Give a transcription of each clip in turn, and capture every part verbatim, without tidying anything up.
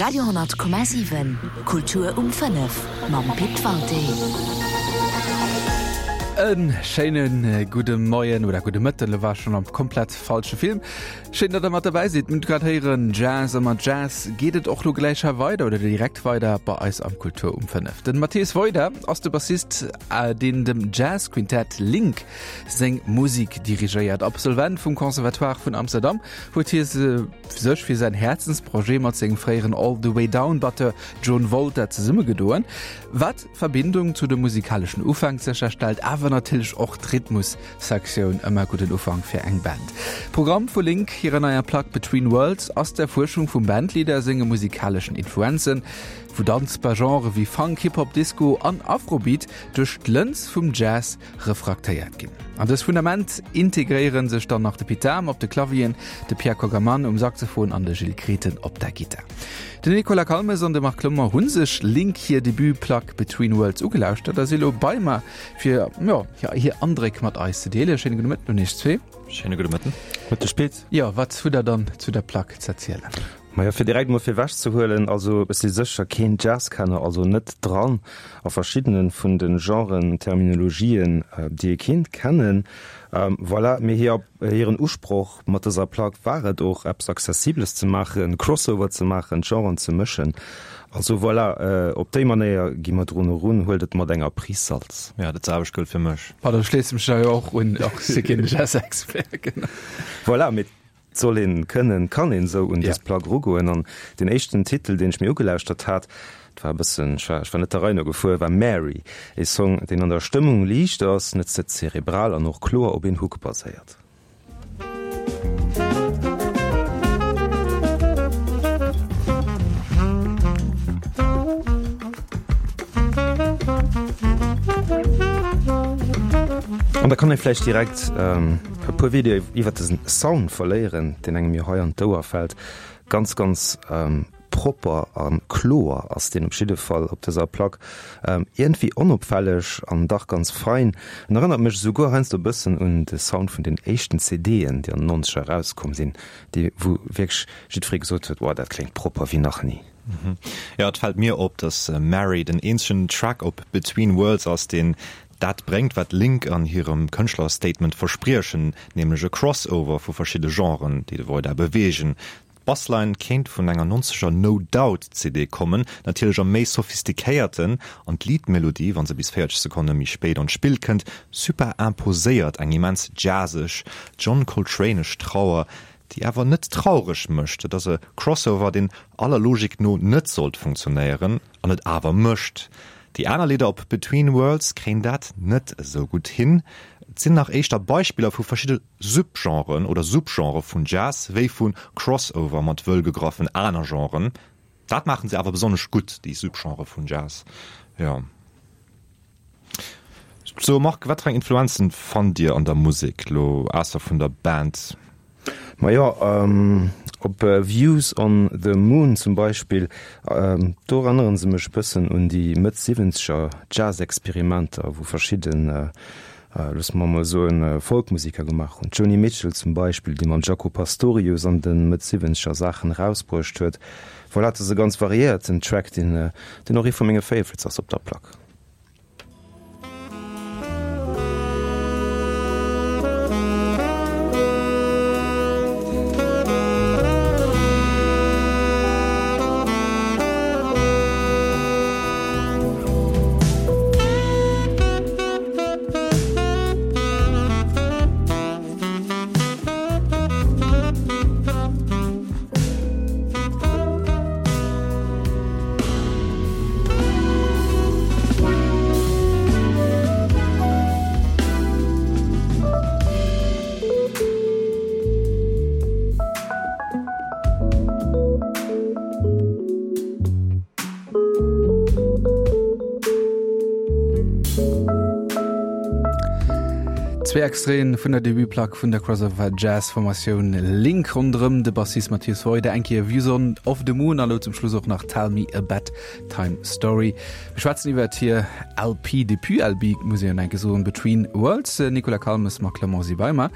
Radio honnert Komma siwen, Kultur um fënnef mam Pit Walté. E schéine gudde Moien oder gudde Mëtten, lo war ech schonn am komplett falsche Film. Schéin, datt der mat derbäi sidd. Mir hunn grad héieren, Jazz a mat Jazz geet et och lo gläich hei weider oder direkt weider bei eis am Kultur um fënnef. Den Mathias Wojda ass de Bassist, deen dem Jazz-Quintett Link seng Musik dirigéiert. Absolvent vum Conservatoire vun Amsterdam huet hie sech fir säin Häerzensprojet mat sengem fréieren All The Way Down Batteur John Wolter zesummegedoen, wat d'Verbindung zu de musikaleschen Ufänk sécherstellt, awer natierlech och d'Rhythmussektioun, ëmmer gudden Ufank fir eng Band. Programm vu Link hirer neier Plack Between Worlds ass d'Erfuerschung vum Bandleader senge musikaleschen Influenzen, wou danzbar Genrë wéi Funk, Hip-Hop, Disco an Afrobeat duerch d'Lëns vum Jazz refraktéiert ginn. An dës Fundament integréiere sech dann nach de Pit Dahm op de Clavieren, de Pierre Kogaman um Saxophon an de Gilles Grethen op der Gittar. Den Nicolas Calmes an de Marc Clement hu sech Link hir Debut-Plack Between Worlds ugelauschtert a si lo bei mer fir, jo, hir Andréck mat eis ze deelen. Schéine gudde Mëtten un iech zwee. Schéine gudde Mëtten. Mëtteg Pit. Jo, wat hutt der dann zu der Plack z'erzielen? Majo, fir direkt mol virwech ze huelen, also ech si sécher keen Jazzkenner, also net dran a verschiddene vun de Genren, Terminologien, déi ee kinnt kennen. Voilà, mee hir, hiren Usproch mat dëser Plack war et och, eppes Accessibles ze maachen, Crossover ze maachen, d'Genren ze mëschen. Also voilà, op déi Manéier gi mer drun erun, huelt et mat enger Prise Salz. Jo, dat selwecht gëllt fir mech. Pardon, ech schléisse mech da jo och un, och ech si keen Jazzexpert, genau. Voilà, mee Et soll een kënnen, kann een esou un dës Plack erugoen. An deen éischten Titel, deen ech mir ugelauschtert hat, et war e bëssen, ech war, ech war net der Rei no gefuer, war Mary, ee Song, deen an der Stëmmung liicht ass, net ze zerebral an och kloer op een Hook baséiert. An da kann ee vläicht direkt e puer Wieder iwwert dësen Sound verléieren, deen engem jo hei an d'Ouer fält. Ganz, ganz propper a kloer ass deen op jidde Fall op dëser Plack. Iergendwéi onopfälleg an dach ganz fein. En erënnert mech esouguer heiansdo e bëssen un de Sound vun den éischten CDen, déi an den Nonzeger erauskomm sinn, déi wou wierklech jiddweree gesot huet, Wow, dat kléngt propper wéi nach ni. Jo, et fält mir op, dass Mary den eenzegen Track op Between Worlds ass, deen dat bréngt, wat Link an hirem Kënschtlerstatement verspriechen, nämlech e Crossover vu verschidde Genren, déi de Voida beweegen. D'Bassline kéint vun enger nonzeger No Doubt C D kommen, natierlech am méi sophistiquéierten, an d'Lead-Melodie, wa se bis véierzeg Sekonne méi spéit an d'Spill kënnt, superimposéiert eng immens jazzeg, John Coltranesch Trauer, déi awer net traureg mécht. Et ass e Crossover, deen aller Logik no net sollt funktionéieren, an et awer mécht. Déi aner Lidder op Between Worlds kréien dat net esou gutt hin. Et sinn nach éischter Beispiller vu verschidde Subgenren oder Subgenre vun Jazz wéi vu Crossover mat wëll gegraffen aner Genren. Dat maachen se awer besonnesch gutt, déi Subgenre vun Jazz, jo. So Marc, wat fir eng Influenzen fannt Dir an der Musek, lo ausser vun der Band? Majo, op Views on the Moon zum Beispill, do erënnere se mech e bëssen un déi Mëtt Siwwenzeger Jazz-Experimenter, wou verschidden, loosse mer emol soen, Folkmusiker gemaach hunn. D'Joni Mitchell zum Beispill, déi mam Jaco Pastorius an de Mëtt Siwwenzeger Saachen erausbruecht huet. Voilà, et ass e ganz variéierten Track, deen och ee vu menge Favorites ass op der Plack. Zwee Extraiten vun der Debutplack vun der Crossover Jazz Formatioun Link ronderëm de Bassist Matthias Woida, eng Kéier Views on of the Moon a lo zum Schluss och nach Tell Me a Bedtime Story. Mir schwätzen iwwert hir L P, Debut-L P muss een jo enke soen, Between Worlds. Nicolas Calmes, Marc Clement si bei mer.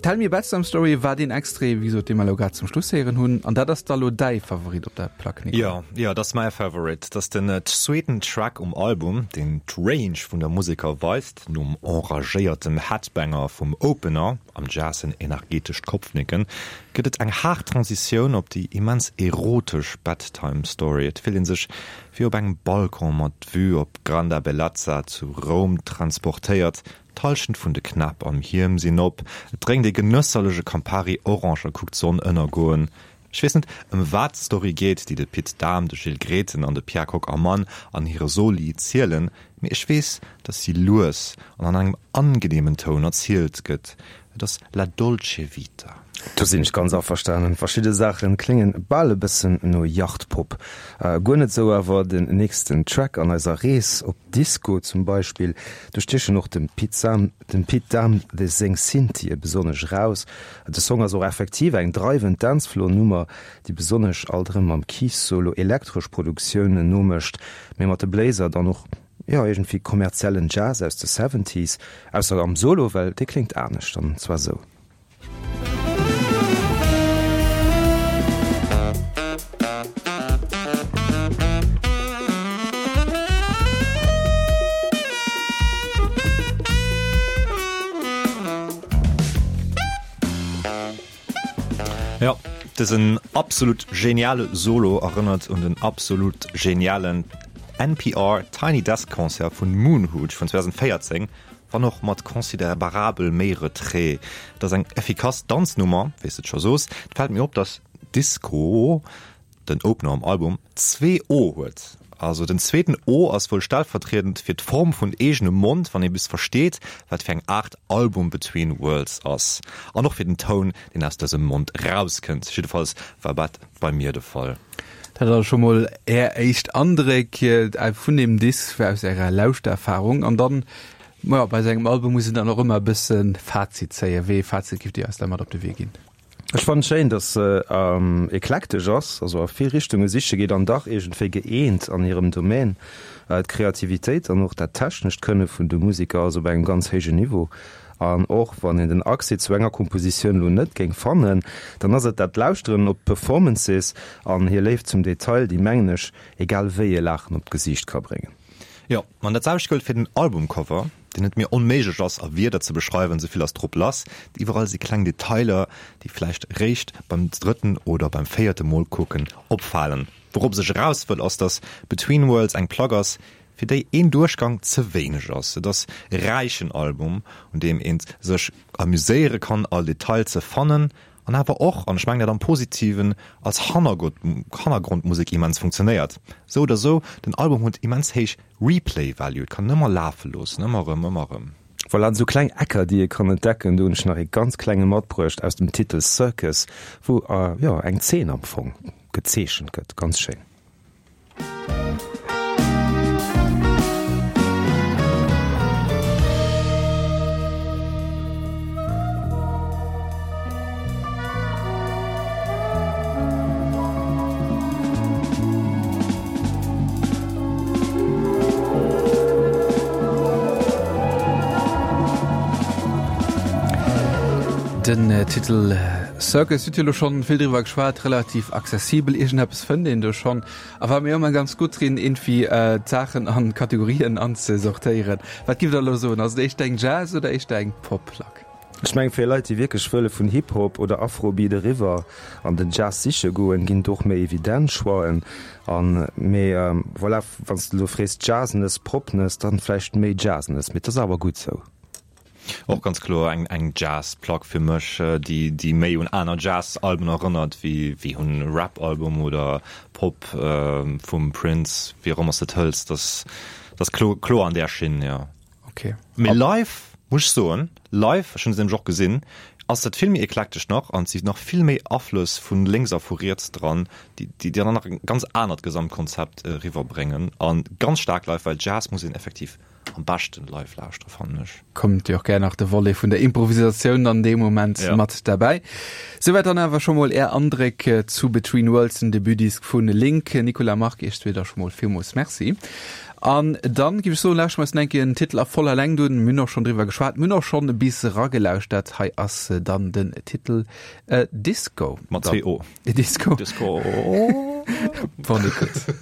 Tell Me a Bedtime Story war deen Extrait, wéi gesot, dee mer elo grad zum Schluss héieren hunn. An dat ass da lo däi Favorit op der Plack, Nicolas? Jo, jo, dat ass mäi Favorit. Dat ass den zweeten Track um Album, deen d'Range vun der Museker weist. Nom enragéiertem Headbanger vum Opener, am Jazz en energetescht Kopfnicken, gëtt et eng haart Transitioun op déi immens erotesch Bedtime Story. Et fillt ee sech wéi op engem Balcon mat Vue op d'Granda Bellezza zu Roum transportéiert, d'Hallschent vun de Knäpp am Hiem sinn op, et drénkt ee genësserlech e Campari Orange a kuckt d'Sonn ënnergoen. Ech weess net, ëm wat d'Story geet, déi de Pit Dahm, de Gilles Grethen an de Pierre Kocc-Ammann an hire Soli zielen, mee ech weess, datt si lues an an engem angeneemen Toun erzielt gëtt. Et ass la dolce vita. Do sinn ech ganz averstanen. Verschidde Saachen kléngen bal e bëssen no Yachtpop. Guer net sou awer den nächsten Track an eiser Rees op Disco zum Beispill. Do stiechen och dem Pit Sam, dem Pit Dahm seng Synthie besonnesch eraus. De Song ass och effektiv eng dreiwend Dancefloor-Nummer, déi besonnesch alt erëm mam Keys-Solo elektresch Produktiounen nomécht, mee mat de Bléiser dann och, jo, iergendwéi kommerziellen Jazz aus de Seventies, ausser am Solo, well dee kléngt anescht, an zwar sou. Jo, dësen absolut geniale Solo erënnert un den absolut genialen N P R Tiny Desk Concert vun Moon Hooch vun zweedausendvéierzéng, wann och mat considerabel méi Retrait. Et ass eng effikass Danznummer, wéi s de et scho soos. Et fält mir op, dass Disco, den Opener um Album, zwee O huet. Also den zweeten O ass wuel stellvertriedend fir d'Form vun eegenem Mond, wann ee bis versteet, wat fir eng Aart Album Between Worlds ass. An och fir den Toun, deen aus dësem Mond rauskënnt. Jiddefalls war dat bei mir de Fall. Dat also scho mol är éischt Andréck vun deem Disk aus ärer Lauschtererfarung. An dann, majo, bei sou engem Album muss een dann och ëmmer e bësse Fazit zéien. Wéi ee Fazit giff Dir eis da mat op de Wee ginn? Ech fannen schéin, dass se eklektesch ass, also a vill Richtunge siche geet an dach iergendwéi gëeent an hirem Domaine. D'Kreativitéit an och dat technescht Kënne vun de Museker ass op engem ganz héijen Niveau. An och wann een den Accès zu enger Kompositioun elo net géing fannen, dann ass et dat Lauschteren op d'Performances an hir Léift zum Detail, déi, mengen ech, egal wéi e Laachen op d'Gesiicht ka bréngen. Jo, an dat selwecht gëllt fir den Albumcover, deen et mir onméiglech ass a Wierder ze beschreiwen, souvill ass drop lass. Iwwerall si kleng Detailer, déi vläicht réischt beim drëtten oder beim véierte Mol kucken opfalen. Wourops ech eraus wëll ass, dass Between Worlds eng Plack ass, fir déi een Duerchgang ze wéineg ass. Et ass e räichen Album, un deem ee sech amuséiere kann, all Detail ze fannen an awer och, an ech mengen dat am Positiven, als Hannergrondmusek immens funktionéiert. Sou oder sou, den Album huet immens héich Replay Value, et kann een ëmmer lafe loossen, ëmmer erëm, ëmmer erëm. Voilà, an esou kleng Ecker, déi ee kann entdecken. Do hunn ech nach ee ganz klenge matbruecht aus dem Titel Circus, wou, jo, eng Zeen am Fong gezeechent gëtt. Ganz schéin. Den Titel Circus, hutt Dir elo schonn vill driwwer geschwat, relativ accessibel, iergendeppes fënnt een do schonn. A war mir ëmmer ganz gutt drin, iergendwéi d'Saachen an Kategorien anzesortéieren. Wat giff Der elo soen, ass et éischter eng Jazz oder éischter eng Pop-Plack? Ech mengen, fir Leit, déi wierklech wëlle vun Hip-Hop oder Afrobeat eriwwer an den Jazz siche goen, ginn et och méi evident Choixen. An, mee voilà, wann s de elo frees Jazzness, Popness, dann vläicht méi Jazzness, mee et ass awer gutt sou. Och ganz kloer eng eng Jazz-Plack fir mech, déi déi méi un aner Jazz-Alben erënnert wéi wéi un Rap-Album oder Pop vum Prince, wéi och ëmmer s de et hëls, dat ass klo kloer an där Schinn, jo. Ok. Mee live, muss ech soen, live, ech hunn se nämlech och gesinn, ass dat vill méi eklektesch nach an et si nach vill méi Aflëss vu lénks a vu riets dran, déi déi dann nach e ganz anert Gesamtkonzept eriwwerbréngen a ganz staark live, well Jazz muss een effektiv am beschten live lauschtere fannen ech. Kommt jo och gär nach de Volet vun der Improvisatioun dann dee Moment ja. mat derbäi. Souwäit dann awer scho mol Är Andréck zu Between Worlds, den Debutdisk vun Link. Nicolas Marc, Iech zwee da scho mol villmools Merci. An dann géif ech soen, lauschteren mer eis nach eng Kéier den Titel a voller Längt un. Mir hunn och schonn driwwer geschwat, mir hunn och schonn e bis eragelauschtert. Hei ass dann den Titel Disco. Mat zwee O. Disco. Disco. Bonne écoute.